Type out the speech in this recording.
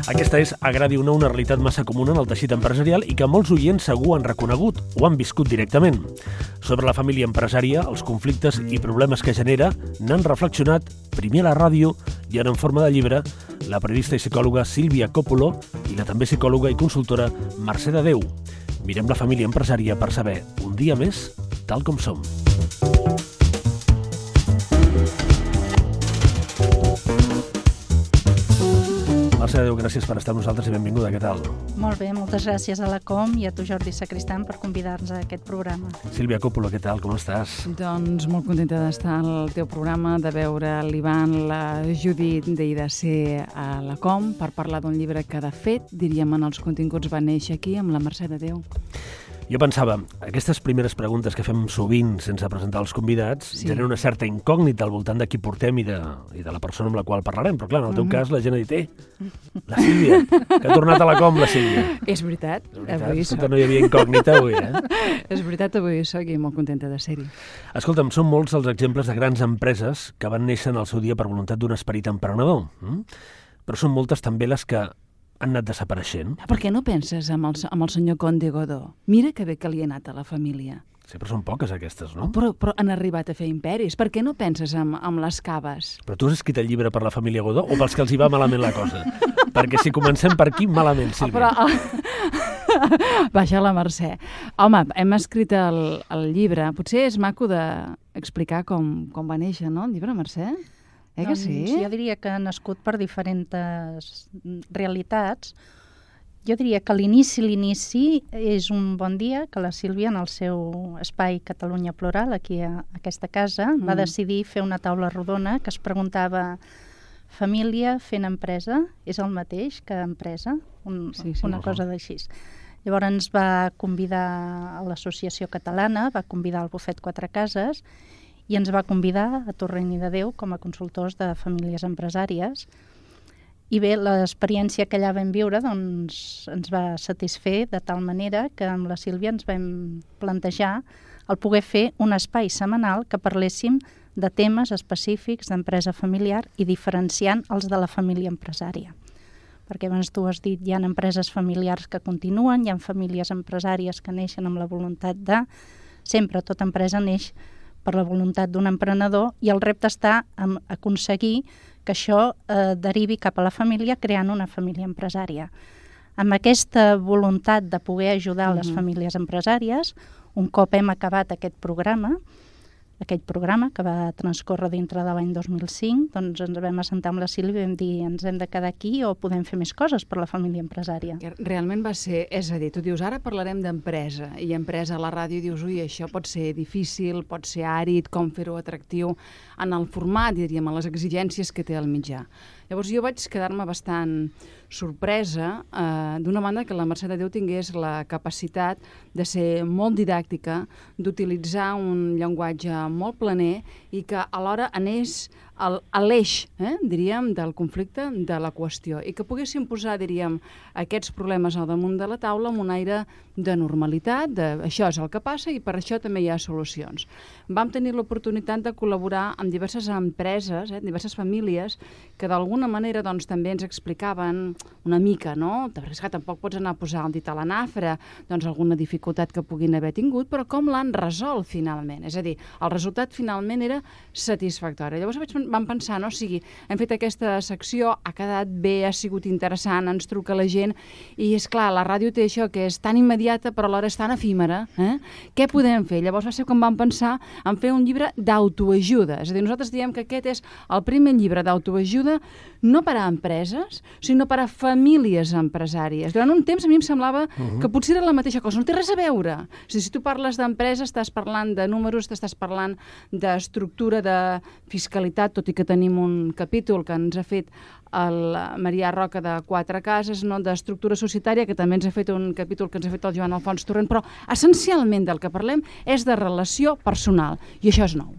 Aquesta és, agradi o no, una realitat massa comuna en el teixit empresarial i que molts oients segur han reconegut o han viscut directament. Sobre la família empresària, els conflictes i problemes que genera, n'han reflexionat, primer a la ràdio i ara en forma de llibre, la periodista i psicòloga Sílvia Coppolo i la també psicòloga i consultora Mercè de Déu. Mirem la família empresària per saber, un dia més, tal com som. Mercè de Déu, gràcies per estar amb nosaltres i benvinguda, què tal? Molt bé, moltes gràcies a la Com i a tu, Jordi Sacristán, per convidar-nos a aquest programa. Sílvia Coppolo, què tal, com estàs? Doncs molt contenta d'estar al teu programa, de veure l'Ivan, la Judit i de ser a la Com per parlar d'un llibre que, de fet, diríem, en els continguts va néixer aquí amb la Mercè de Déu. Jo pensava, aquestes primeres preguntes que fem sovint sense presentar els convidats generen una certa incògnita al voltant de qui portem i de la persona amb la qual parlarem, però clar, en el teu cas la gent ha dit, la Sílvia, que ha tornat a la Com, la Sílvia. És veritat, avui soc. Escolta, no hi havia incògnita avui, És veritat, avui soc i molt contenta de ser-hi. Escolta'm, són molts els exemples de grans empreses que van néixer en el seu dia per voluntat d'un esperit emprenedor, però són moltes també les que han anat desapareixent. Per què no penses amb el senyor Conde Godó? Mira que bé que li ha anat a la família. Sempre són poques aquestes, no? Però han arribat a fer imperis. Per què no penses amb les caves? Però tu has escrit el llibre per la família Godó o pels que els hi va malament la cosa? Perquè si comencem per aquí, malament, Sílvia. Baixa la Mercè. Home, hem escrit el llibre. Potser és maco d'explicar com va néixer, no, el llibre, Mercè? Que sí? Jo diria que ha nascut per diferents realitats. Jo diria que l'inici és un bon dia que la Sílvia, en el seu espai Catalunya Plural, aquí a aquesta casa, va decidir fer una taula rodona que es preguntava: família fent empresa és el mateix que empresa? Una cosa d'així. Llavors ens va convidar a l'Associació Catalana, va convidar el Bufet Quatre Cases i ens va convidar a Torrent i de Déu com a consultors de famílies empresàries. I bé, l'experiència que allà vam viure doncs, ens va satisfer de tal manera que amb la Sílvia ens vam plantejar el poder fer un espai setmanal que parléssim de temes específics d'empresa familiar i diferenciant els de la família empresària. Perquè abans tu has dit, hi ha empreses familiars que continuen, hi ha famílies empresàries que neixen amb la voluntat de... Sempre, tota empresa neix per la voluntat d'un emprenedor i el repte està en aconseguir que això derivi cap a la família creant una família empresària. Amb aquesta voluntat de poder ajudar les famílies empresàries, un cop hem acabat aquest programa que va transcórrer dintre de l'any 2005, doncs ens vam assentar amb la Sílvia i vam dir ens hem de quedar aquí o podem fer més coses per la família empresària. Realment va ser, és a dir, tu dius ara parlarem d'empresa i empresa a la ràdio dius, ui, això pot ser difícil, pot ser àrid, com fer-ho atractiu en el format, diríem, en les exigències que té el mitjà. Llavors jo vaig quedar-me bastant sorpresa d'una banda que la Mercè de Déu tingués la capacitat de ser molt didàctica, d'utilitzar un llenguatge molt planer i que alhora anés a l'eix, diríem, del conflicte, de la qüestió, i que poguéssim posar, diríem, aquests problemes al damunt de la taula amb un aire de normalitat, de això és el que passa i per això també hi ha solucions. Vam tenir l'oportunitat de col·laborar amb diverses empreses, diverses famílies, que d'alguna manera doncs, també ens explicaven una mica, no? És que tampoc pots anar a posar el dit a la nafra, doncs alguna dificultat que puguin haver tingut, però com l'han resolt finalment. És a dir, el resultat finalment era satisfactori. Llavors vam pensar, no? O sigui, hem fet aquesta secció, ha quedat bé, ha sigut interessant, ens truca la gent, i és clar, la ràdio té això que és tan immediata però alhora és tan efímera. Què podem fer? Llavors va ser com vam pensar en fer un llibre d'autoajuda. És a dir, nosaltres diem que aquest és el primer llibre d'autoajuda no per a empreses, sinó per a famílies empresàries. Durant un temps a mi em semblava que potser era la mateixa cosa, no té res a veure. O sigui, si tu parles d'empresa estàs parlant de números, estàs parlant d'estructura, de fiscalitat, tot i que tenim un capítol que ens ha fet el Marià Roca de Quatre Cases, no? D'estructura societària, que també ens ha fet un capítol que ens ha fet el Joan Alfons Torrent, però essencialment del que parlem és de relació personal, i això és nou.